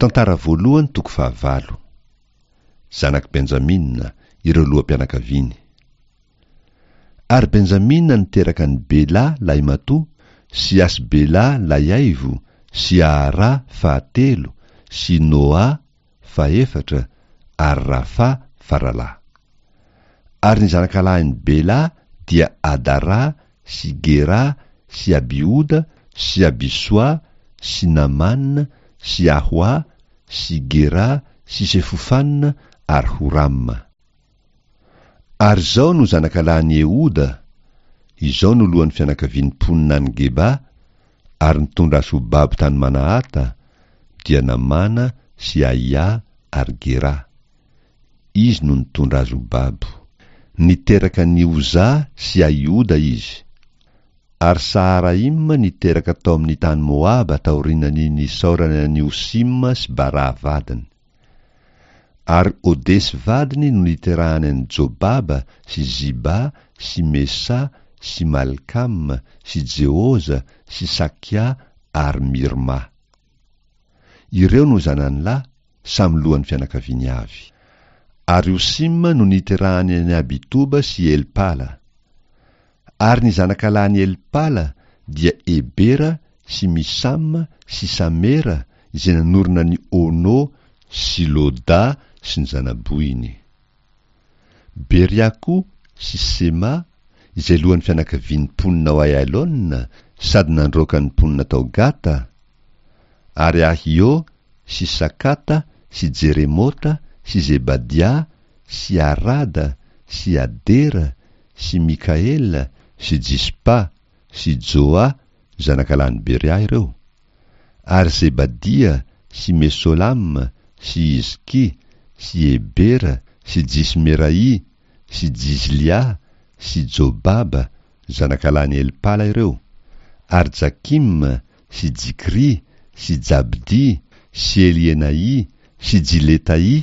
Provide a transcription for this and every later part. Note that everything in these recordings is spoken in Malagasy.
Tantara voalohany toko fahavalo. Zanak'i Benjamina, ireo loham-pianakaviany. Ary Benjamina niteraka an'i Bela lahimatoa, sy Asbela lahiaivo, sy Ahara fahatelo, sy Noa fahefatra, ary Rafa faralahy. Ary ny zanakalahin'i Bela dia Adara sy Gera sy Abihoda sy Abisoa sy Namàna sy Ahoa sy Gera sy Sefofana ary Horama. Ary izao no zanakalahin'i Ehoda, izao no lohan'ny fianakavian'ny mponina any Geba, ary nitondra azy ho babo tany Manahata, dia Namàna sy Ahià ary Gerà. Izy no nitondra azy ho babo. Niteraka an'i Ozà sy Ahioda izy. Ary Saharaima niteraka tao amin'ny tany Moaba taorian'ny nisaorany an'i Hosima sy Barà vadiny. Ary Odesy vadiny no niterahany an'i Jobaba sy Ziba sy Mesa sy Malkama sy Jeoza sy Sakia ary Mirma. Ireo no zanany lahy, samy lohan'ny fianakaviany avy. Ary Hosima no niterahany an'i Abitoba sy Elpala. Ary ny zanakalahin'i Elpala dia Ebera sy Misama sy Samera izay nanorina an'i Ono sy Loda sy ny zana-bohiny. Beria koa sy Sema izay lohan'ny fianakavian'ny mponina ao Aialona sady nandroaka ny mponina tao Gata, ary Ahio sy Sakata sy Jeremota sy Zebadia sy Arada sy Adera sy Mikaela sy Jispa sy Joa zanakalahin'i Beria ireo, ary Zebadia sy Mesolama sy Hizkia sy Hebera sy Jismeraia sy Jizlia sy Jobaba zanakalahin'i Elpala ireo, ary Jakima sy Jikry sy Jabdy sy Elienaì sy Jiletaì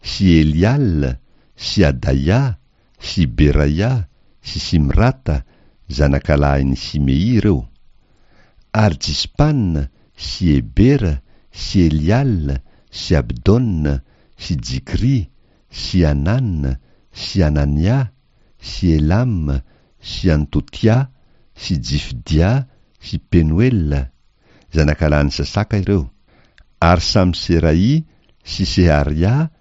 sy Eliala sy Adaia sy Beraia sy Simrata zanakalahin'i Simey ireo, ary Jispana sy Hebera sy Eliala sy Abdona sy Jikry sy Hanana sy Hanania sy Elama sy Antotia sy Jifdia sy Penoela, zanakalahin'i Sasaka ireo, ary Samseraì sy Seharia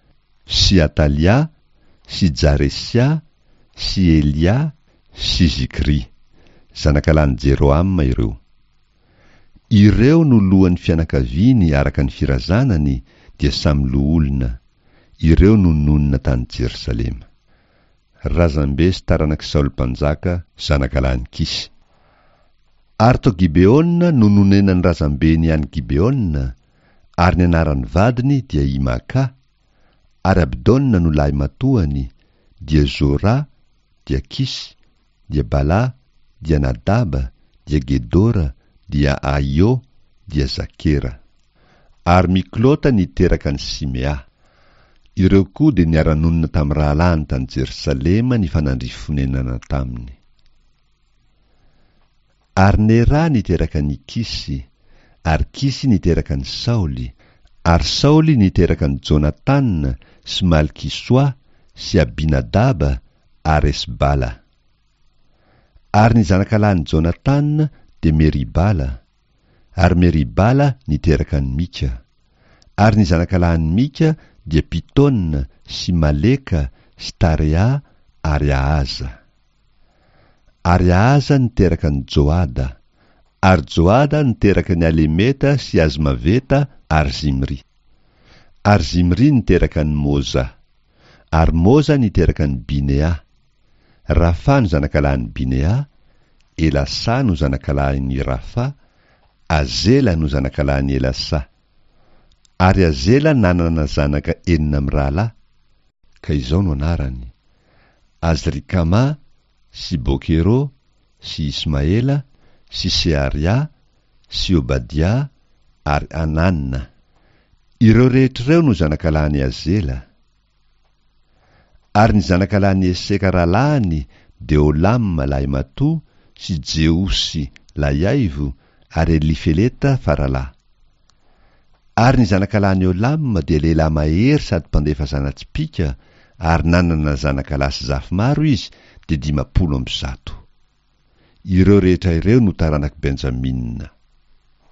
sy Atalia sy Jaresia sy Elia sy Zikry, zanakalahin'i Jerohama ireo. Ireo no lohan'ny fianakaviany araka ny firazanany, dia samy loholona. Ireo no nonina tany Jerosalema. Razambe sy taranak'i Saoly mpanjaka, zanakalahin'i Kisy. Ary tao Gibeona no nonenan'ny razambeny any Gibeona, ary ny anaran'ny vadiny dia i Maka, ary Abdona no lahimatoany, dia Zora, dia Kisy, dia Bala, dia Nadaba, dia Gedora, dia Ahio, dia Zakera. Ary Miklota niteraka an'i Simea. Ireo koa dia niara-nonina tamin'ny rahalahiny tany Jerosalema nifanandrify fonenana taminy. Ary Nera niteraka an'i Kisy, ary Kisy niteraka an'i Saoly, ary Saoly niteraka an'i Jonatana sy Malkisoa sy Abinadaba ary Esbala. Ary ny zanakalahin'i Jonatana dia Meribala, ary Meribala niteraka an'i Mika. Ary ny zanakalahin'i Mika dia Pitona sy Maleka sy Tarea ary Ahaza. Ary Ahaza niteraka an'i Joada, ary Joada niteraka an'i Alemeta sy Azmaveta ary Zimry. Ary Zimry niteraka an'i Moza. Ary Moza niteraka an'i Binea. Rafa no zanakalahin'i Binea, Elasa no zanakalahin'i Rafa, Azela no zanakalahin'i Elasa. Ary Azela nanana zanaka enina mirahalahy, ka izao no anarany, Azrikama sy Bokero sy Ismaela sy Searia sy Obadia ary Anana. Ireo rehetra ireo no zanakalahin'i Azela. Ary ny zanakalahin'i Eseka rahalahiny dia Olama lahimatoa sy Jeosy lahiaivo ary Elifeleta faralahy. Ary ny zanakalahin'i Olama dia lehilahy mahery sady mpandefa zana-tsipìka, ary nanana zanakalahy sy zafy maro izy, dia 150. Ireo rehetra ireo no taranak'i Benjamina.